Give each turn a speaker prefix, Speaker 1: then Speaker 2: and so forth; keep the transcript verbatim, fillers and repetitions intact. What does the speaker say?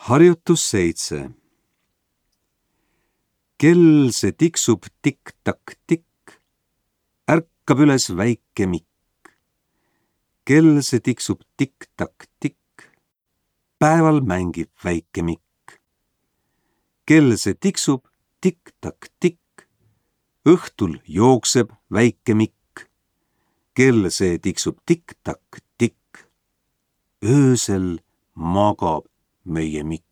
Speaker 1: Harjutus seitse. Kell see tiksub tikk-takk-tikk, ärkab üles väike Mikk. Kell see tiksub tikk-takk-tikk, päeval mängib väike Mikk. Kell see tiksub tikk-takk-tikk, õhtul jookseb väike Mikk. Kell see tiksub tikk-takk-tikk, öösel magab meie Mikk.